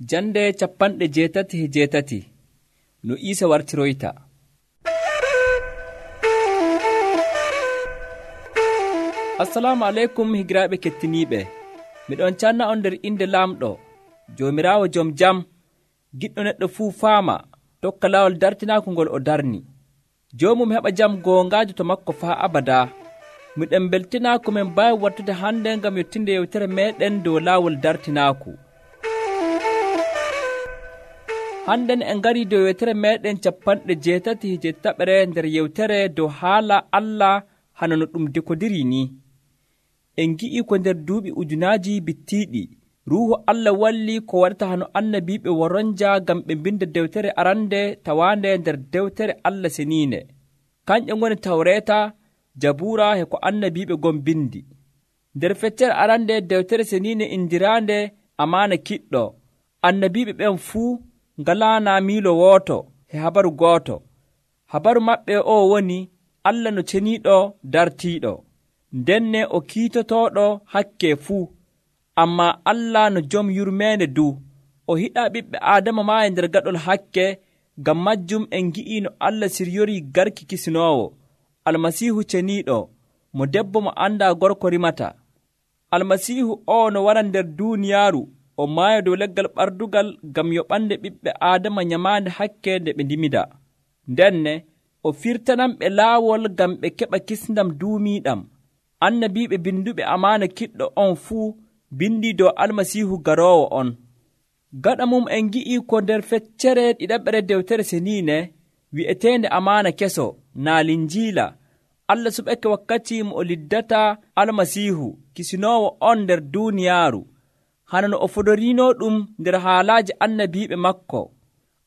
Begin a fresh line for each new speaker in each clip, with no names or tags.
Jande 87 no Iisa wartiroyta. Assalamu aleykum higiraaɓe kettiniiɓe. Miɗon canna on nder inde Laamɗo, Joomiraawo jom jam, giɗɗo neɗɗo fuu faama, tokka laawol dartinaaku ngol o darni. Joomum heɓa jam goongaajo to makko faa abadaa. Miɗen beltinaa ko min mbaawi wattude hannde ngam yottinde yewtere meeɗen dow laawol dartinaaku. Hannden en ngarii dow yewtere meeɗen 87 nder yewtere dow haala Allah hano no ɗum dekodiri ni. En ngi'ii ko nder duuɓi ujunaaji bittiiɗi Ruuhu Allah walli ko waɗata hano annabiiɓe woronja ngam ɓe mbinda dewtere arande tawaande nder dewtere Allah seniinde. Kanƴe ngoni Tawreeta, Jabuura e ko annabiiɓe gon bindi. Nder feccere arande dewtere seniinde indiraande Amaana Kiɗɗo, annabiiɓe ɓen fuu ngalaana miilo wooto e habaru gooto. Habaru maɓɓe o woni Allah no ceniiɗo dartiiɗo, ndenne o kiitotooɗo hakke fuu. Ammaa Allah no jom yurmeende du, o hiɗaa ɓiɓɓe Aadama maa e nder gaɗol hakke. Ngam majjum en ngi'ii no Allah siryorii garki kisinoowo, Almasiihu ceniiɗo, mo debbo mo anndaa gorko rimata. Almasiihu o no wara nder duuniyaaru, o maaya dow leggal ɓardugal ngam yoɓande ɓiɓɓe Aadama nyamaande hakke nde ɓe ndimida. Ndenne o firtananɓe laawol ngam ɓe keɓa kisndam duumiiɗam. Annabiiɓe binduɓe Amaana Kiɗɗo on fuu bindi dow Almasiihu garoowo on. Gaɗa mum en ngi'ii ko nder feccere ɗiɗaɓre dewtere seniine wi'eteende Amaana Keso naa Linjiila, Allah suɓake wakkati mo o liddata Almasiihu kisinoowo on nder duuniyaaru, hana no o fodoriino ɗum nder haalaaji annabiiɓe makko.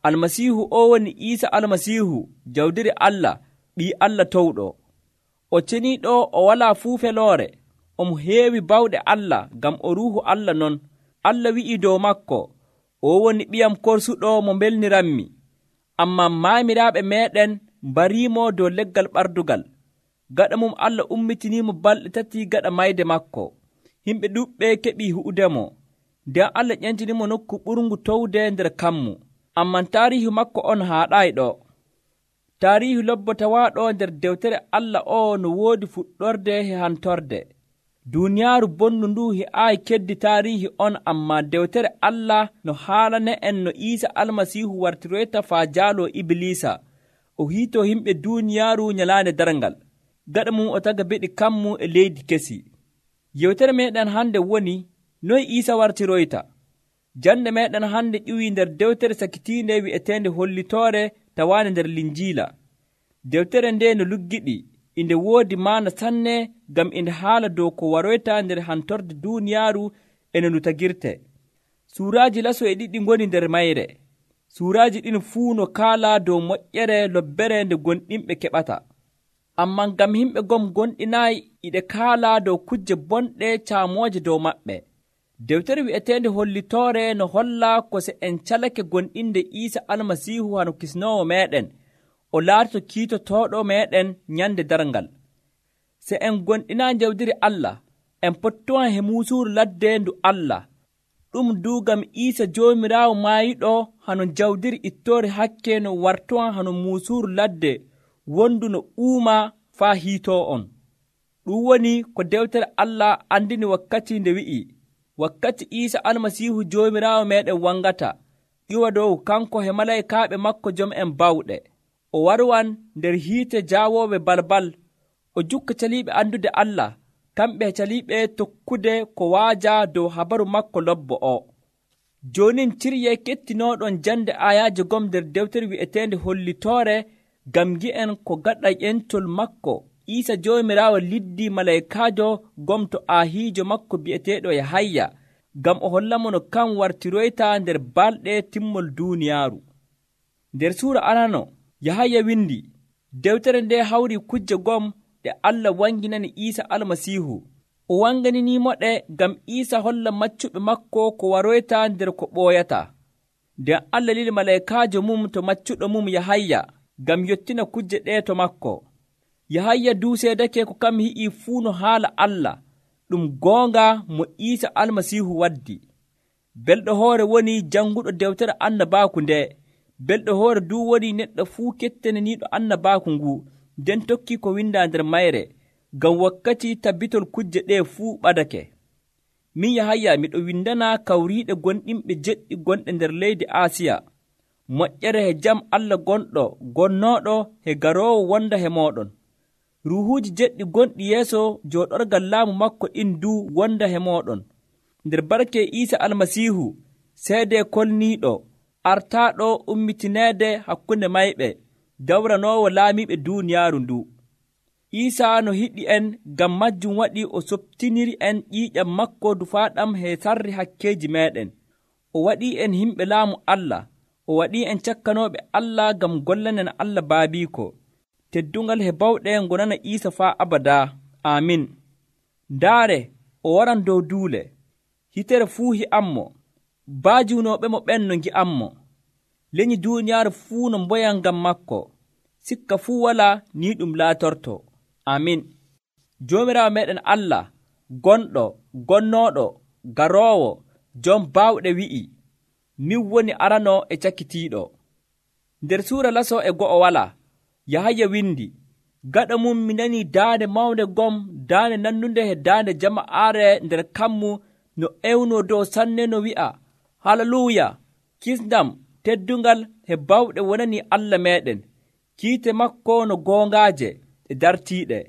Almasiihu o woni Iisa Almasiihu, jawdiri Allah, ɓii Allah towɗo. O ceniiɗo o walaa fuu feloore, omo heewi bawɗe Allah ngam o Ruuhu Allah non. Allah wi'ii dow makko, o woni ɓiyam korsuɗo mo mbelniranmi. Ammaa maamiraaɓe meeɗen mbariimo dow leggal ɓardugal. Gaɗa mum Allah ummitiniimo balɗe 3 gaɗa mayde makko. Himɓe ɗuɓɓe keɓii hu'udemo. Nden Allah ƴentinimo nokku ɓurngu towde nder kammu. Amman taariihu makko on haaɗaayi ɗo. Taariihu lobbotawaaɗo nder dewtere Allah o no woodi fuɗɗorde e hantorde. Duuniyaaru bonndu ndu he'aayi keddi taariihi on, ammaa dewtere Allah no haalane en no Iisa Almasiihu wartiroyta faa jaaloo Ibliisa, o hiitoo himɓe duuniyaaru nyalaande darngal. Gaɗa mum o taga beɗi kammu e leydi kesi. Yewtere meeɗen hannde woni noye Iisa wartiroyta. Jande meeɗen hannde ƴiwii nder dewtere sakitiinde wi'eteende Hollitoore tawaande nder Linjiila. Dewtere nde no luggiɗi, inde woodi maana sanne ngam inde haala dow ko waroyta nder hantorde duuniyaaru e no ndu tagirte. Suuraaji laso e ɗiɗi ngoni nder mayre. Suuraaji ɗin fuu no kaala dow moƴƴere lobbere nde gonɗinɓe keɓata. Ammaa ngam himɓe gom gonɗinaayi iɗe kaala dow kujje bonɗe caamooje dow maɓɓe. Dewtere wi'eteende Hollitoore no holla ko se en calake gonɗinde Iisa Almasiihu hano kisnoowo meeɗen, o laatoto kiitotooɗo meeɗen nyande darngal. Se en gonɗinaa jawdiri Allah, en pottowan he muusuuru ladde ndu Allah. Ɗum duugam Iisa Joomiraawo maayiɗo hano jawdiri ittoore hakke no wartowan hano muusuuru ladde wondu no uuma faa hiitoo on. Ɗum woni ko dewtere Allah andini wakkati nde wi'i, wakkati Iisa Almasiihu Joomiraawo meeɗen wangata, ƴiwa dow kanko he malaykaaɓe makko jom en bawɗe. O warwan nder hiite jaawooɓe balbal, o jukka caliiɓe andude Allah, kamɓe caliiɓe tokkude ko waaja dow habaru makko lobbo o. Joonin cirye kettinooɗon jande ayaaje gom nder dewtere wi'eteende Hollitoore ngam gi'en ko gaɗa ƴentol makko Iisa Joomiraawo liddi malaykaajo gom to aahiijo makko bi'eteeɗo Yahaya, ngam o hollamo no kan wartiroyta nder balɗe timmol duuniyaaru. Nder suura arano Yahaya windi, dewtere nde hawri kujje gom ɗe Allah wanginani Iisa Almasiihu. O wanganinimoɗe ngam Iisa holla maccuɓe makko ko waroyta nder ko ɓooyata. Nden Allah lili malaykaajo mum to maccuɗo mum Yahaya ngam yottina kujje ɗe to makko. Yahaya duuseedake ko kam hi'ii fuu no haala Allah, ɗum goonga mo Iisa Almasiihu waddi. belɗo hoore woni janguɗo dewtere annabaaku nde. Belɗo hoore du woni neɗɗo fuu kettaniniiɗo annabaaku ngu, nden tokki ko windaa nder mayre, ngam wakkati tabbitol kujje ɗe fuu ɓadake. Min Yahaya miɗo windana kawriiɗe gonɗinɓe jeɗɗi gonɗe nder leydi Aasiya. Moƴƴere he jam Allah gonɗo gonnooɗo he garoowo wonda he mooɗon. Ruuhuuji jeɗɗi gonɗi yeeso jooɗorgal laamu makko ɗin du wonda he mooɗon. Nder barke Iisa Almasiihu, seede kolniiɗo, artaaɗo ummitineede hakkunde mayɓe, dawranoowo laamiiɓe duuniyaaru ndu. Iisa no hiɗi en, ngam majjum waɗi o soɓtiniri en ƴiiƴam makko dufaaɗam he sarri hakkeeji meeɗen. O waɗii en himɓe laamu Allah. O waɗii en cakkanooɓe Allah ngam gollanen Allah baabiiko. Teddungal he bawɗe ngonana Iisa faa abadaa. Aamin. Ndaare, o waran dow duule. Hitere fuu hi'ammo. Baajuunooɓe mo ɓen no ngi'ammo. Leñi duuniyaaru fuu no mboyan ngam makko. Sikka fuu walaa ni ɗum laatorto. Amin. Joomiraawo meeɗen Allah, gonɗo, gonnooɗo, garoowo, jom baawɗe wi'i, min woni arano e cakkitiiɗo. Nder suura laso e go'o walaa, Yahaya windi, gaɗa mum mi nanii daande mawnde gom, daande nannunde he daande jama'aare nder kammu no ewnoo dow sanne no wi'a, Haleluuya, kisndam, teddungal he bawɗe wonani Allah meeɗen, kiite makko no goongaaje e dartiiɗe.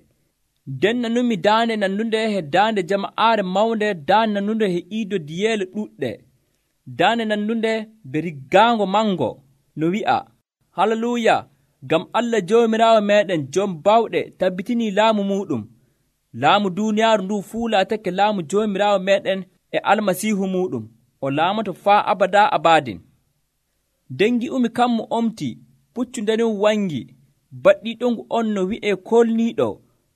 Nden nanumi daande nannunde he daande jama'aare mawnde, daande nannunde he iido diyeele ɗuɗɗe, daande nannunde be riggaango mango no wi'a, Haleluuya, ngam Allah Joomiraawo meeɗen jom bawɗe tabbitinii laamu muɗum. Laamu duuniyaaru ndu fuu laatake laamu Joomiraawo meeɗen e Almasiihu muɗum. O laamato faa abadaa abadin. Dengi umi kammu omti, puccu ndenum wangi, baɗɗiiɗongu on no wi'ee kolniiɗo,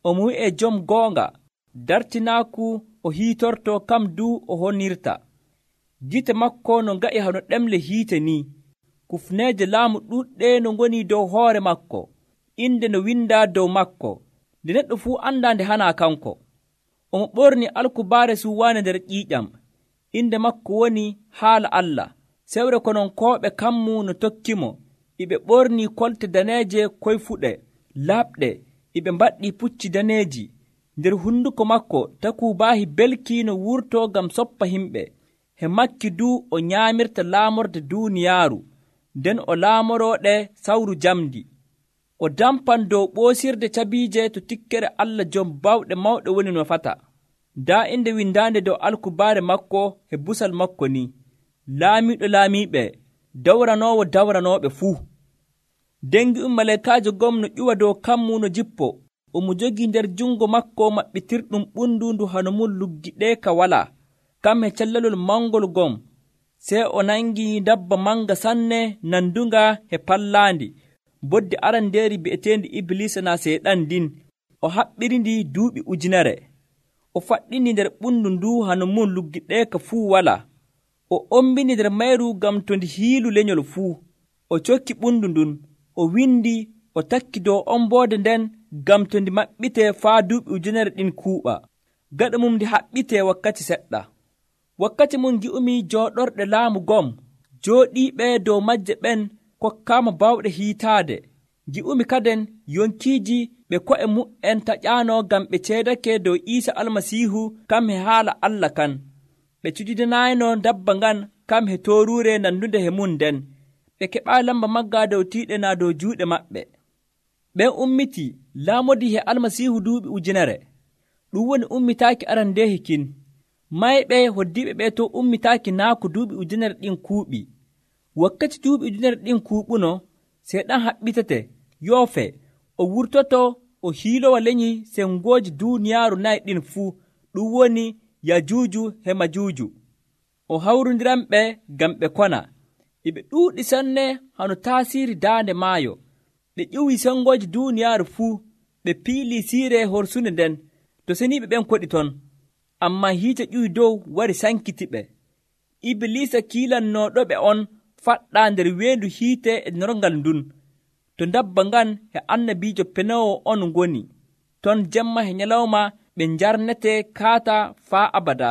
omo wi'ee jom goonga, dartinaaku o hiitorto kam du o honirta. Gite makko no nga'i hano ɗemle hiite ni. Kufneeje laamu ɗuɗɗe no ngoni dow hoore makko, inde no windaa dow makko, nde neɗɗo fuu anndaa nde hanaa kanko. Omo ɓorni alkubaare suwaane nder ƴiiƴam, inde makko woni haala Allah. Sewre kononkooɓe kammu no tokkimo, iɓe ɓorni kolte daneeje koyfuɗe, laaɓɗe, iɓe mbaɗɗi pucci daneeji. Nder hunduko makko takuubaahi belki no wurtoo ngam soppa himɓe. He makki du o nyaamirta laamorde duuniyaaru, nden o laamorooɗe sawru jamdi. O dampan dow ɓoosirde cabiije to tikkere Allah jom bawɗe mawɗe woni no fata. Daa inde windaande dow alkubaare makko he busal makko ni, laamiiɗo laamiiɓe, dawranoowo dawranooɓe fuu. Dengi malaikaajo gom no ƴuwa dow kammu no jippo, omo jogii nder jungo makko maɓɓitirɗum ɓundundu hano mum luggiɗeeka walaa, kam he callalol mangol gom. Sey o nangi dabba manga sanne nandunga he pallaandi, boddi arandeeri bi'eteendi Iblisa na seeɗan din. O haɓɓirindi duuɓi 1,000. O faɗɗindi nder ɓundu ndu hano mum luggiɗeeka fuu walaa. O ombini nder mayru ngam to ndi hiilu lenyol fuu. O cokki ɓundu ndun, o windi, o takki dow omboode nden ngam to ndi maɓɓitee faa duuɓi 1,000 ɗin kuuɓa. Gaɗa mum ndi haɓɓitee wakkati seɗɗa. Wakkati mum gi'umi jooɗorɗe laamu gom, jooɗiiɓe dow majje ɓen kokkaama bawɗe hiitaade. Gi'umi kaden yonkiiji ɓe ko'e mu'en taƴaano ngam ɓe ceedake dow Iisa Almasiihu kam he haala Allah kan. Ɓe cudidanaayno dabba ngan kam he tooruure nandunde he mum nden. Ɓe keɓaa lamba magga dow tiiɗe naa dow juuɗe maɓɓe. Ɓen ummiti laamodi he Almasiihu duuɓi 1,000. Ɗum woni ummitaaki arandeehi kin. Mayɓe hoddiiɓe ɓe to ummitaaki naa ko duuɓi 1,000 ɗin kuuɓi. Wakkati duuɓi 1,000 ɗin kuuɓuno, seeɗan haɓɓitete, yoofe, o wurtoto o hiilowa leñi sengooji duuniyaaru 4 ɗin fuu, ɗum woni Yajuuju he Majuuju. O hawrondiranɓe ngam ɓe kona. Iɓe ɗuuɗi sanne hano taasiiri daande maayo. Ɓe ƴuwii sengooji duuniyaaru fuu, ɓe piilii siire horsunde nden, to seniiɓe ɓen koɗi ton. Ammaa hiite ƴuwi dow wari sankitiɓe. Iblisa kiilannooɗoɓe on faɗɗaa nder weendu hiite e norngal ndun, to dabba ngan he annabiijo penoowo on ngoni. Ton jemma he nyalawma ɓe njarnete kaata faa abada.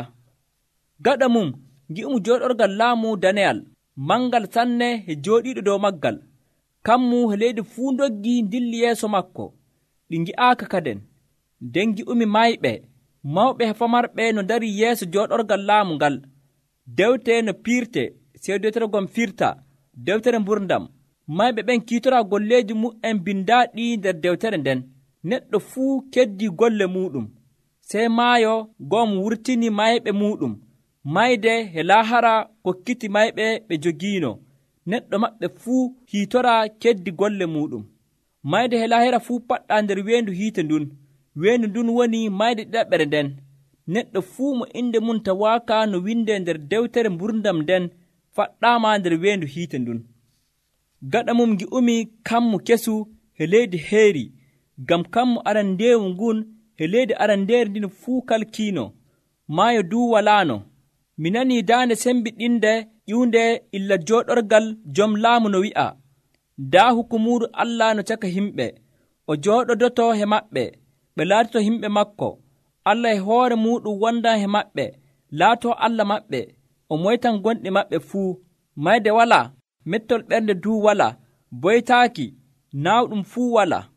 Gaɗa mum ngi'umo jooɗorgal laamu daneyal mangal sanne e jooɗiiɗo dow maggal. Kammu e leydi fuu ndoggi dilli yeeso makko, ɗi ngi'aaka kaden. Nden ngi'umi mayɓe, mawɓe e famarɓe no dari yeeso jooɗorgal laamu ngal. Dewte no piirte, sey dewtere gon firta, dewtere mburdam. Mayɓe ɓen kiitoraa golleeji mu'en bindaaɗi nder dewtere nden. Neɗɗo fuu keddii golle muuɗum. Sey maayo ngom wurtini mayɓe muuɗum. Mayde e laahara kokkiti mayɓe ɓe jogiino. Neɗɗo maɓɓe fuu hiitoraa keddi golle muuɗum. Mayde e laahara fuu paɗɗaa nder weendu hiite ndun. Weendu ndun woni mayde ɗiɗaɓere nden. Neɗɗo fuu mo inde mum tawaaka no windee nder dewtere mburdam nden faɗɗaama nder weendu hiite ndun. Gaɗa mum ngi'umi kammu kesu e leydi heeri, ngam kammu arandeewu ngun e leydi arandeeri ndin fuu kalkiino. Maayo duu walaano. Mi nanii daande sembiɗinde ƴiwnde illa jooɗorgal jom laamu no wi'a, daa hukumuuru Allah no caka himɓe, o jooɗodoto he maɓɓe, ɓe laatoto himɓe makko. Allah e hoore muuɗum wondan he maɓɓe, laatoo Allah maɓɓe, o moytan gonɗi maɓɓe fuu. Mayde walaa, mettol ɓernde duu walaa, boytaaki, naawɗum fuu walaa,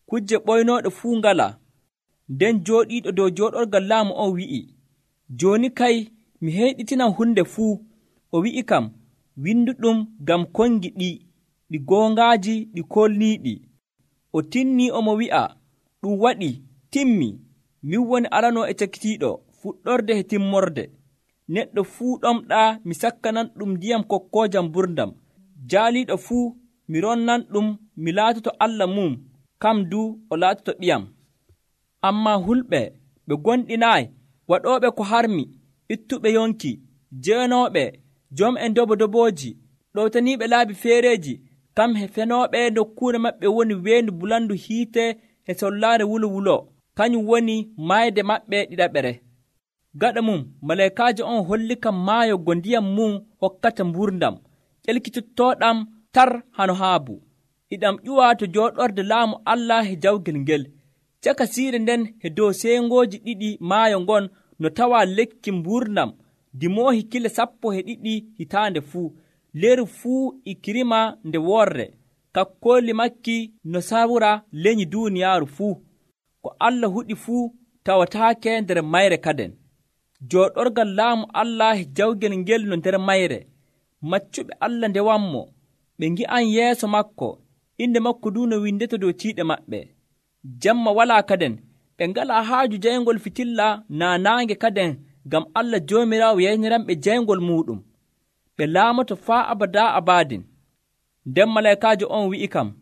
kujje ɓoynooɗe fuu ngalaa. Nden jooɗiiɗo dow jooɗorgal laamu on wi'i, jooni kay mi heyɗitinan hunde fuu. O wi'i kam, winduɗum ngam kongi ɗi goongaaji ɗi kolniiɗi. O tinnii omo wi'a, ɗum waɗi, timmi. Min woni aranoo e cakitiiɗo, fuɗɗorde e timmorde. Neɗɗo fuu ɗomɗaa mi sakkanan ɗum ndiyam kokkoojam mburdam. Jaaliiɗo fuu mi ronnan ɗum mi laatoto Allah mum, kam du o laatoto ɓiyam. Ammaa hulɓe ɓe gonɗinaayi, waɗooɓe ko harmi, ittuɓe yonki, jeenooɓe, jom en dobodobooji, ɗowtaniiɓe laabi feereeji, kam he fenooɓe nokkuure maɓɓe woni weendu bulandu hiite e sollaare wulo, kañum woni maayde maɓɓe ɗiɗaɓere. Gaɗa mum malaykaajo on holli kam maayo go ndiyam mum hokkata mburdam, ƴelkitottooɗam tar hano haabu. Iɗam ƴuwa to jooɗorde laamu Allah e jawgel ngel. Caka siire nden e dow seengooji ɗiɗi maayo ngon no tawaa lekki mburdam dimoohi kile 12 hitaande fuu. Leru fuu e kirima nde worre, kakkooli makki no sawra leñi duuniyaaru fuu. Ko Allah huɗi fuu tawataake nder mayre kaden. Jooɗorgal laamu Allah e jawgel ngel no nder mayre. Maccuɓe Allah ndewammo, ɓe ngi'an yeeso makko, inde makko duu no windeto dow tiiɗe maɓɓe. Jamma walaa kaden, ɓe ngalaa haaju jayngol fitilla naa naange kaden, ngam Allah Joomiraawo yeyniranɓe jayngol muuɗum. Ɓe laamoto faa abadaa abaadin. Nden malaykaajo on wi'i kam,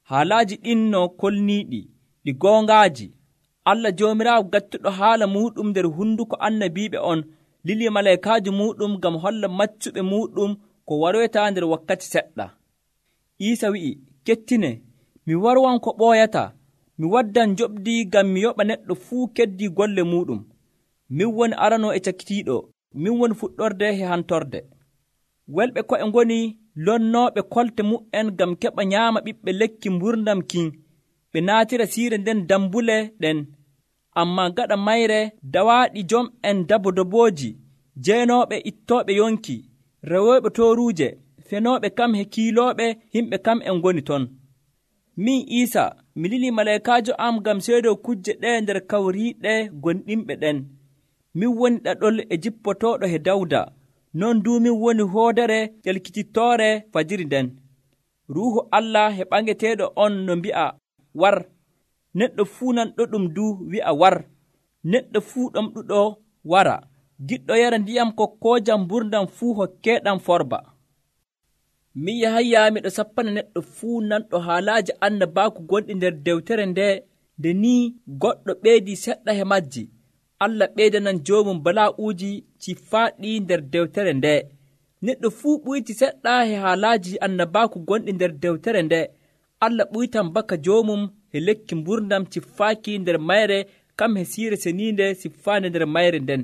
haalaaji ɗin no kolniiɗi, ɗi goongaaji. Allah Joomiraawo gattuɗo haala muuɗum nder hunduko annabiiɓe on lili malaykaajo muuɗum ngam holla maccuɓe muuɗum ko waroyta nder wakkati seɗɗa. Iisa wi'i, kettine, mi warwan ko ɓooyata, mi waddan joɓdi ngam mi yoɓa neɗɗo fuu keddii golle muuɗum. Min woni aranoo e cakitiiɗo, min woni fuɗɗorde e hantorde. Welɓe ko'e ngoni lonnooɓe kolte mu'en ngam keɓa nyaama ɓiɓɓe lekki mburdam kin, ɓe naatira siire nden dambule ɗen. Ammaa gaɗa mayre dawaaɗi jom en dabodobooji, jeenooɓe ittooɓe yonki, rewooɓe tooruuje, fenooɓe kam he kiilooɓe himɓe kam en ngoni ton. Min Iisa mi lilii malaykaajo am ngam seedoo kujje ɗe nder kawriiɗe gonɗinɓe ɗen. Min woni ɗaɗol e jippotooɗo he Dawda, non duu min woni hoodere ƴelkitittoore fajiri nden. Ruuhu Allah he ɓangeteeɗo on no mbi'a, war. Neɗɗo fuu nanɗo ɗum duu wi'a war. Neɗɗo fuu ɗomɗuɗo wara. Giɗɗo yara ndiyam kokkoojam mburdam fuu hokkeeɗam forba. Min Yahaya miɗo sappana neɗɗo fuu nanɗo haalaaji annabaaku gonɗi nder dewtere nde ni goɗɗo ɓeydii seɗɗa he majji, Allah ɓeydanan joomum balaa'uuji ciffaaɗi nder dewtere nde. Neɗɗo fuu ɓuyti seɗɗa he haalaaji annabaaku gonɗi nder dewtere nde, Allah ɓuytan baka joomum he lekki mburdam ciffaaki nder mayre kam he siire seniinde siffaande nder mayre nden.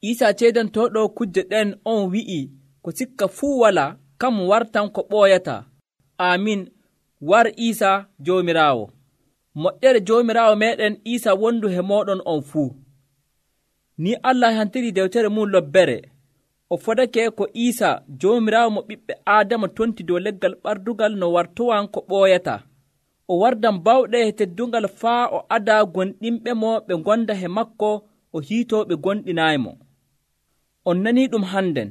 Iisaa ceedantooɗo kujje ɗen on wi'i ko sikka fuu walaa, kam wartan ko ɓooyata. Aamin. War Iisaa Joomiraawo. Moƴƴere Joomiraawo meeɗen Iisaa wondu he mooɗon on fuu. Ni Allah hantiri dewtere mum lobbere. o fodake ko Iisa Joomiraawo mo ɓiɓɓe Aadama tonti dow leggal ɓardugal no wartowan ko ɓooyata. O wardan bawɗe e teddungal faa o ada gonɗinɓe mo ɓe gonda he makko o hiitoo ɓe gonɗinaaymo. On nanii ɗum hannden.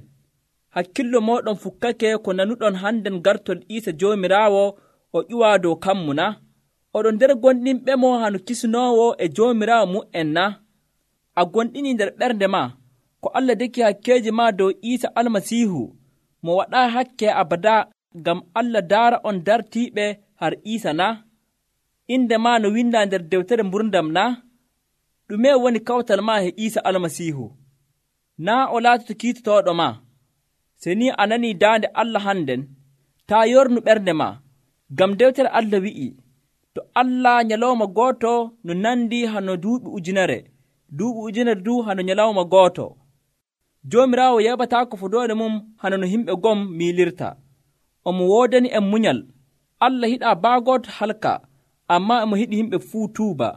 Hakkillo mooɗon fukkake ko nanuɗon hannden gartol Iisa Joomiraawo o ƴuwaa dow kammu na? Oɗon nder gonɗinɓe mo hano kisnoowo e Joomiraawo mu'en na? A gonɗini nder ɓernde ma ko Allah deki hakkeeji ma dow Iisa Almasiihu mo waɗaa hakke abada ngam Allah daara on dartiiɓe har Iisa na? Inde ma no windaa nder dewtere mburdam na? Ɗume woni kawtal ma e Iisa Almasiihu? Naa o laatoto kiitotooɗo ma? Se ni a nanii daande Allah hannden, taa yornu ɓernde ma, ngam dewtere Allah wi'i, to Allah nyalawma gooto no nandi hano duuɓi ujunere, duuɓi ujunere du hano nyalawma gooto. Joomiraawo yeɓataako fodoode mum hano no himɓe gom miilirta. Omo woodani en munyal. Allah hiɗaa baagooto halka, ammaa emo hiɗi himɓe fuu tuuba.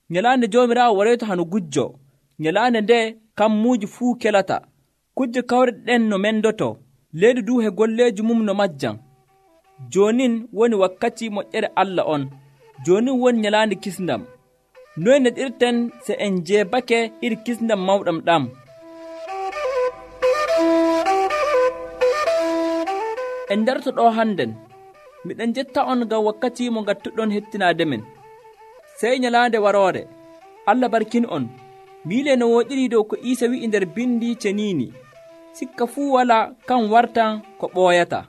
Nyalaande Joomiraawo waroyta hano gujjo. Nyalaande nde kammuuji fuu kelata. Kujje kawre ɗen no mendoto. Leydi du he golleeji mum no majjan. Joonin woni wakkati moƴƴere Allah on. Joonin woni nyalaande kisndam. Noy neɗirten se en jeebake iri kisndam mawɗam ɗam? En darto ɗo hannden, miɗen jetta on ngam wakkati mo ngattuɗon hettinaade men. Sey nyalaande waroore, Allah barkin on, miile no woɗiri dow ko Iisa wi'i nder bindi ceniini, sikka fuu wala kan wartan ko ɓooyata.